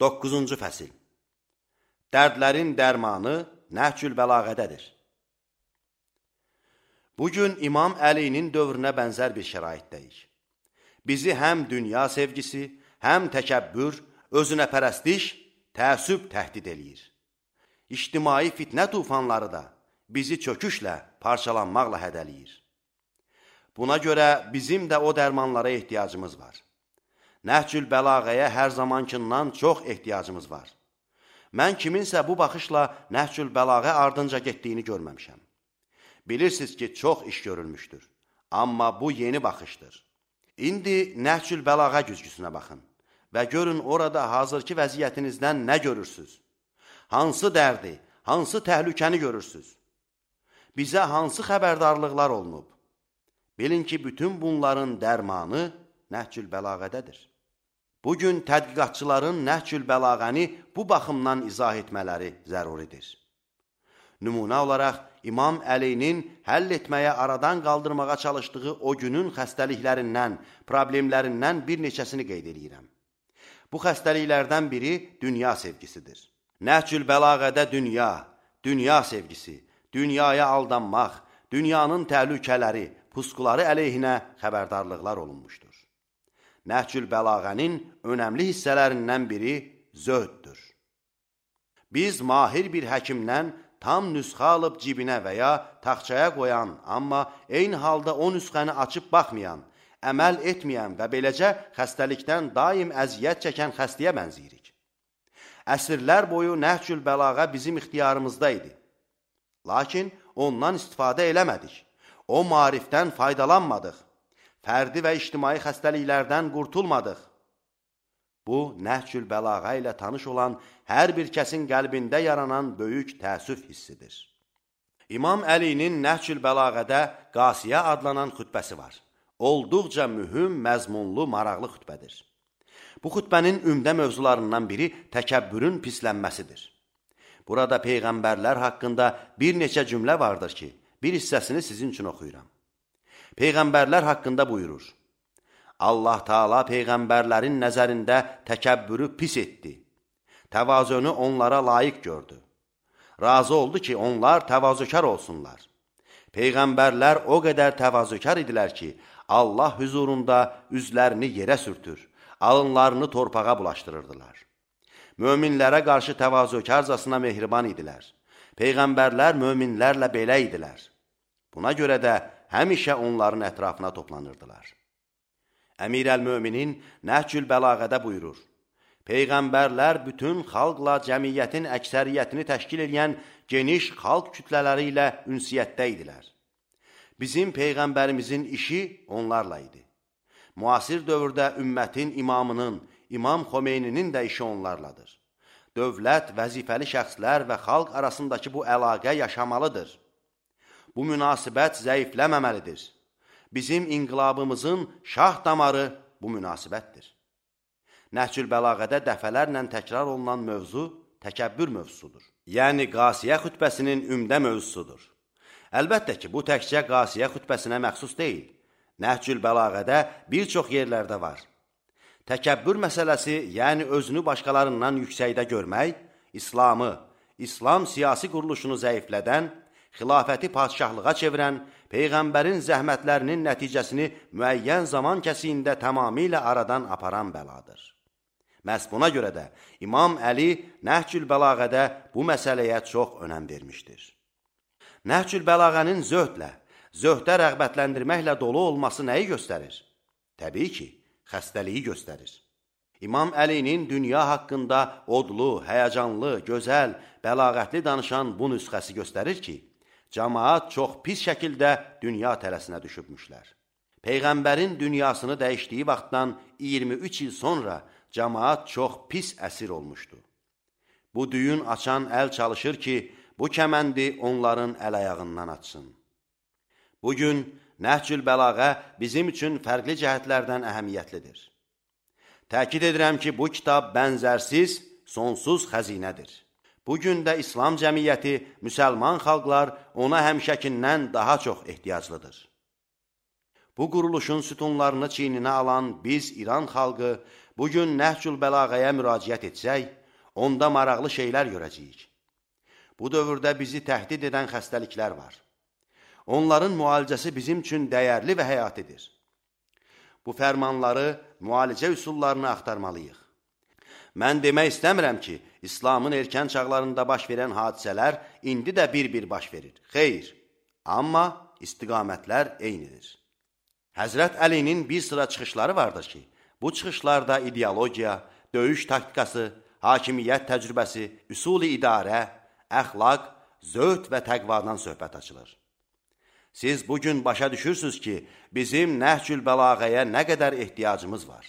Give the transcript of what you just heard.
9-cu fəsil. Dərdlərin dərmanı Nəhcül Bəlağədədir. Bugün İmam Əlinin dövrünə bənzər bir şəraitdəyik. Bizi həm dünya sevgisi, həm təkəbbür, özünəpərəstlik, təəssüb təhdid eləyir. İctimai fitnə tufanları da bizi çöküşlə, parçalanmaqla hədəliyir. Buna görə bizim də o dərmanlara ehtiyacımız var. Nəhcül Bəlağəyə hər zamankindən çox ehtiyacımız var. Mən kiminsə bu baxışla Nəhcül Bəlağə ardınca getdiyini görməmişəm. Bilirsiniz ki, çox iş görülmüşdür. Amma bu yeni baxışdır. İndi Nəhcül Bəlağə güzgüsünə baxın və görün orada hazırki vəziyyətinizdən nə görürsünüz? Hansı dərdi, hansı təhlükəni görürsünüz? Bizə hansı xəbərdarlıqlar olunub? Bilin ki, bütün bunların dərmanı Nəhcül Bəlağədədir. Bugün tədqiqatçıların Nəhcül Bəlağəni bu baxımdan izah etmələri zəruridir. Nümunə olaraq İmam Əlinin həll etməyə, aradan qaldırmağa çalışdığı o günün xəstəliklərindən, problemlərindən bir neçəsini qeyd edirəm. Bu xəstəliklərdən biri dünya sevgisidir. Nəhcül Bəlağədə dünya sevgisi, dünyaya aldanmaq, dünyanın təhlükələri, pusquları əleyhinə xəbərdarlıqlar olunmuşdur. Nəhcül Bəlağənin önəmli hissələrindən biri zöhddür. Biz mahir bir həkimdən tam nüsxə alıb cibinə və ya taxçaya qoyan, amma eyni halda o nüsxəni açıb baxmayan, əməl etməyən və beləcə xəstəlikdən daim əziyyət çəkən xəstəyə bənziyirik. Əsrlər boyu Nəhcül Bəlağə bizim ixtiyarımızda idi. Lakin ondan istifadə eləmədik. O maarifdən faydalanmadıq. Fərdi və ictimai xəstəliklərdən qurtulmadıq. Bu, Nəhcül Bəlağə ilə tanış olan hər bir kəsin qəlbində yaranan böyük təəssüf hissidir. İmam Əlinin Nəhcül Bəlağədə Qasiyə adlanan xütbəsi var. Olduqca mühüm, məzmunlu, maraqlı xütbədir. Bu xütbənin ümdə mövzularından biri təkəbbürün pislənməsidir. Burada peyğəmbərlər haqqında bir neçə cümlə vardır ki, bir hissəsini sizin üçün oxuyuram. Peyğəmbərlər haqqında buyurur: Allah Taala peyğəmbərlərin nəzərində təkəbbürü pis etdi. Təvazöünü onlara layiq gördü. Razı oldu ki, onlar təvazökar olsunlar. Peyğəmbərlər o qədər təvazökar idilər ki, Allah huzurunda üzlərini yerə sürtür, alınlarını torpağa bulaşdırırdılar. Möminlərə qarşı təvazökarcasına mehriban idilər. Peyğəmbərlər möminlərlə belə idilər. Buna görə də həmişə onların ətrafına toplanırdılar. Əmir əl-Möminin Nəhcül Bəlağədə buyurur: Peyğəmbərlər bütün xalqla cəmiyyətin əksəriyyətini təşkil edən geniş xalq kütlələri ilə ünsiyyətdə idilər. Bizim Peyğəmbərimizin işi onlarla idi. Müasir dövrdə ümmətin imamının, İmam Xomeyninin də işi onlarladır. Dövlət, vəzifəli şəxslər və xalq arasındakı bu əlaqə yaşamalıdır. Bu münasibət zəifləməməlidir. Bizim inqilabımızın şah damarı bu münasibətdir. Nəhcül Bəlağədə dəfələrlə təkrar olunan mövzu təkəbbür mövzusudur. Yəni Qasiyə xütbəsinin ümdə mövzusudur. Əlbəttə ki, bu təkcə Qasiyə xütbəsinə məxsus deyil. Nəhcül Bəlağədə bir çox yerlərdə var. Təkəbbür məsələsi, yəni özünü başqalarından yüksəkdə görmək, İslamı, İslam siyasi quruluşunu zəiflədən, xilafəti padşahlığa çevirən, Peyğəmbərin zəhmətlərinin nəticəsini müəyyən zaman kəsiyində tamamilə aradan aparan bəladır. Məhz buna görə də İmam Əli Nəhcül Bəlağədə bu məsələyə çox önəm vermişdir. Nəhcül Bəlağənin zöhdə rəğbətləndirməklə dolu olması nəyi göstərir? Təbii ki, xəstəliyi göstərir. İmam Əlinin dünya haqqında odlu, həyəcanlı, gözəl, bəlağətli danışan bu nüsxəsi göstərir ki, cəmaat çox pis şəkildə dünya tələsinə düşübmüşlər. Peyğəmbərin dünyasını dəyişdiyi vaxtdan 23 il sonra cəmaat çox pis əsir olmuşdu. Bu düyün açan əl çalışır ki, bu kəməndi onların əl-ayağından açsın. Bugün Nəhcül Bəlağə bizim üçün fərqli cəhətlərdən əhəmiyyətlidir. Təkid edirəm ki, bu kitab bənzərsiz, sonsuz xəzinədir. Bugün də İslam cəmiyyəti, müsəlman xalqlar ona həmişəkindən daha çox ehtiyaclıdır. Bu quruluşun sütunlarını çiyninə alan biz İran xalqı Bugün Nəhcül Bəlağəyə müraciət etsək, onda maraqlı şeylər görəcəyik. Bu dövrdə bizi təhdid edən xəstəliklər var. Onların müalicəsi bizim üçün dəyərli və həyatidir. Bu fərmanları, müalicə üsullarını axtarmalıyıq. Mən demək istəmirəm ki, İslamın erkən çağlarında baş verən hadisələr indi də bir-bir baş verir. Xeyr, amma istiqamətlər eynidir. Həzrət Əlinin bir sıra çıxışları vardır ki, bu çıxışlarda ideologiya, döyüş taktikası, hakimiyyət təcrübəsi, üsul-i idarə, əxlaq, zöhd və təqvadan söhbət açılır. Siz bugün başa düşürsünüz ki, bizim Nəhcül Bəlağəyə nə qədər ehtiyacımız var.